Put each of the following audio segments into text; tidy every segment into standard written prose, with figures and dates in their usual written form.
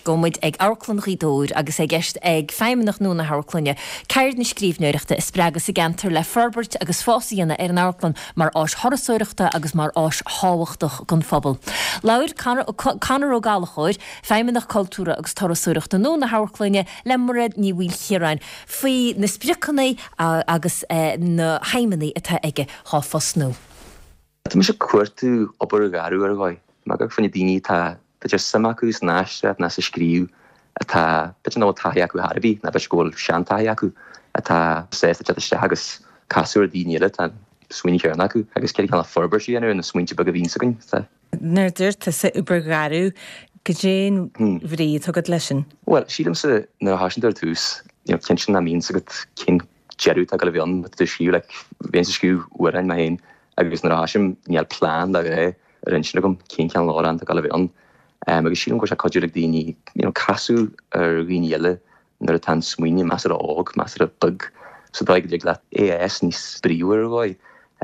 Gabhfaidh muid ag Amharclann Ghaoth Dobhair agus é i gceist ag feidhmeannach nua na hamharclainne ceird na scríbhneoireachta a spreagadh sa gceantar le forbairt agus fás a dhéanamh ar an amharclann mar áis thurasóireachta agus mar áis thábhachtach don phobal. Labhair Conor Ó Gallchóir, Feidhmeannach Cultúrtha agus Turasóireachta nua na hamharclainne le Mairéad Ní Mhaoilchiaráin faoi na spriocanna agus na haidhmeanna atá aige dhá phost nua. Tá mise ag cuartú obair gharbh ar dhóigh. Mar gur fá choinne daoine atá, b'fhéidir, suim acu san aisteoireacht ná sa scríobh, atá, b'fhéidir nach bhfuil taithí acu ar bith, ná b'fhéidir go bhfuil seantaithí acu, atá sásta teacht isteach agus casadh ar daoine eile atá an smaoineamh céanna acu agus cén cineál forbairt a dhéanamh ar na smaointe beaga a bhíonns againn. Tá. Nuair a dúirt tusa obair gharbh, goidé an bhrí atá agat leis sin? Bhuel, sílimse nuair a thosaíonn tú ar tús, you know, cinnte nach mbíonns agat cén deireadh atá ag dul a bheith ann, tá tú ag scríobh, like, bheinnse ag scríobh amhráin mé féin agus nuair a thosaím níl plean de ghnáth ar intinn agam cén cineál amhrán atá ag dul a bheith ann. Agus sílim go bhfuil sé cuidiúil ag daoine, you know, casadh ar dhaoine eile nuair atá an smaoineamh measartha óg, measartha beag, sa dóigh go dtig leat é a fhás níos bríomhar ar dhóigh.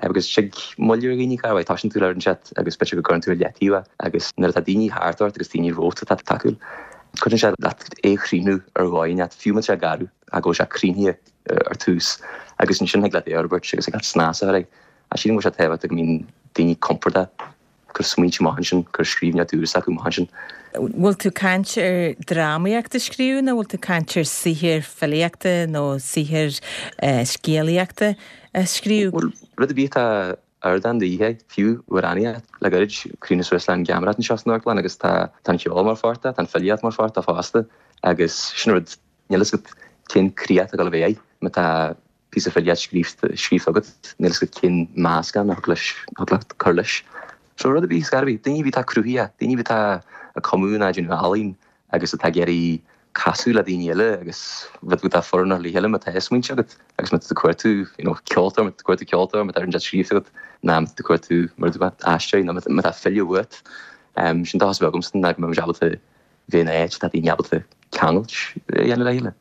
Agus tig moill ar dhaoine, cá bhfeadh, tosaíonn tú le rud inteacht agus b'fhéidir go gcuireann tú ar leataobh é agus nuair atá daoine thart ort agus daoine romhat atá tacúil, cuidíonn sé leat é a chríochnú ar dhóigh inteacht, fiú má tá sé garbh, ach go bhfuil sé críochnaithe ar tús agus ansin thig leat é a fhorbairt agus thig leat snas a chur air. Ach sílim go bhfuil sé tábhachtach go mbíonn daoine compordach cur smaointe amach ansin, cur scríbhneoireacht úr s'acu amach ansin. Bhfuil tú ag caint ar drámaíocht a scríobh nó bhfuil tú ag caint ar saothar filíochta nó saothar scéalaíochta a scríobh? Bhuel, rud ar bith atá ardán de dhíth, fiú amhránaíocht. Le gairid, chríochnaigh suas le an gheamaireacht anseo san amharclann agus tá an ceol mar pháirt de, tá an filíocht mar pháirt de fosta agus sin rud, níl fhios agat cén críoch atá ag dul a bheith air má tá píosa filíocht scríofa agat, níl fhios agat cén meascán a thig leis, a thig leat cur leis. So rud ar bith, scor ar bith, daoine ar bith atá cruthaitheach, daoine ar bith atá ag cumadh nó ag déanamh ealaín agus atá ag iarraidh casadh le daoine eile agus rud atá feiliúnach le chéile má tá smaointe agat agus má tá tú ag cuartú, you know, ceoltóir, má tá tú ag cuartú ceoltóir, má tá rud inteacht scríofa agat, nó má tá tú ag cuartú mar a dúirt mé, aisteoirí, nó má tá file uait. Sin dóchas a bheith agamsa ná go mbeidh muid ábalta bheith in áit atá daoine ábalta ceangailt a dhéanamh le chéile.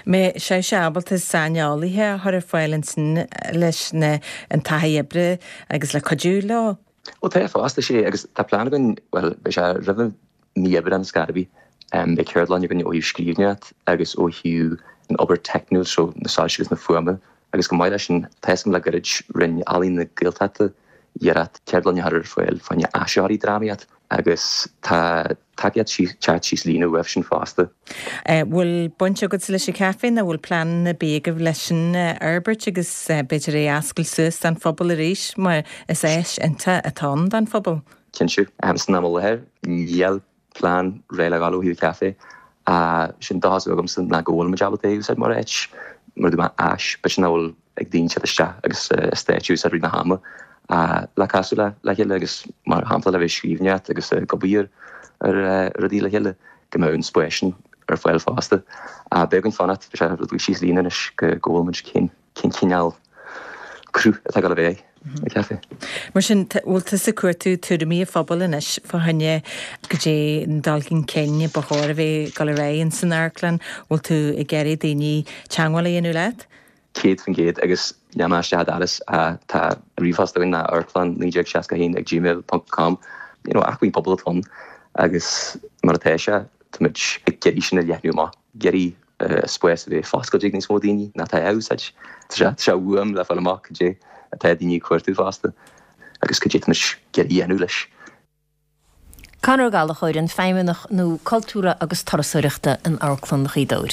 Mbeidh sibhse ábalta saineolaithe a chur ar fáil ansin leis na an taithí oibre agus le cuidiú leo? Ó tá fosta, sea, agus tá plean againn, bhuel, beidh sé roimh mí Aibreán ar scor ar bith, beidh ceardlann againn ó thaobh scríbhneoireacht agus ó thaobh an obair teicniúil, so na soilse agus na fuaime, agus chomh maith leis sin, tá fhios agam le gairid, rinne Ealaín na Gaeltachta iarracht ceardlann a chur ar fáil fá choinne áisitheoirí drámaíocht agus tá tacaíocht teacht síos líne uaibh sin fosta. Bhfuil baint agatsa leis an chaifé nó bhfuil plean ar bith agaibh leis sin a fhorbairt agus b'fhéidir é a oscailt suas don phobal arís mar is áis iontach atá ann don phobal? Cinnte. San am i láthair níl plean réidh le dhul ó thaobh caife. Sin dóchas agamsa ná go bhfuil muid ábalta é a úsáid mar áit, mar a dúirt mé, áis, b'fhéidir nach bhfuil ag daoine teacht isteach agus stáitse a úsáid rith na hama le casadh le chéile agus mar shampla le bheith ag scríbhneoireacht agus ag obair ar rudaí le chéile, go mbeadh an spás sin ar fáil fosta. Beidh againn fanacht, beidh sé rud beag síos líne anois go bhfuil muid cén cineál cruth atá ag dul a bheith ar an caife. Mar sin, bhfuil tusa ag cuartú tuairimí an phobail anois fá choinne goidé an dul chun cinn ba chóir a bheith ag dul ar aghaidh ins an amharclann? Bhfuil tú ag iarraidh daoine teagmháil a dhéanamh leat? 100% agus níl mé istigh i d'áras tá ríomhphost againn ná amharclann 1961 ag gmail ponc com you know acmhainn pobail atá ann agus mar atá sé táimid ag iarraidh sin a leathnú amach ag iarraidh spás a bheith foscailte ag níos mó daoine ná atá á úsáid tá sé tá sé uaim le fáil amach cad é atá daoine ag cuartú fosta agus cad é táimid ag iarraidh a dhéanamh leis. Conor Ó Gallchóir, an Feidhmeannach nua Cultúrtha agus Turasóireachta in Amharclann Ghaoth Dobhair.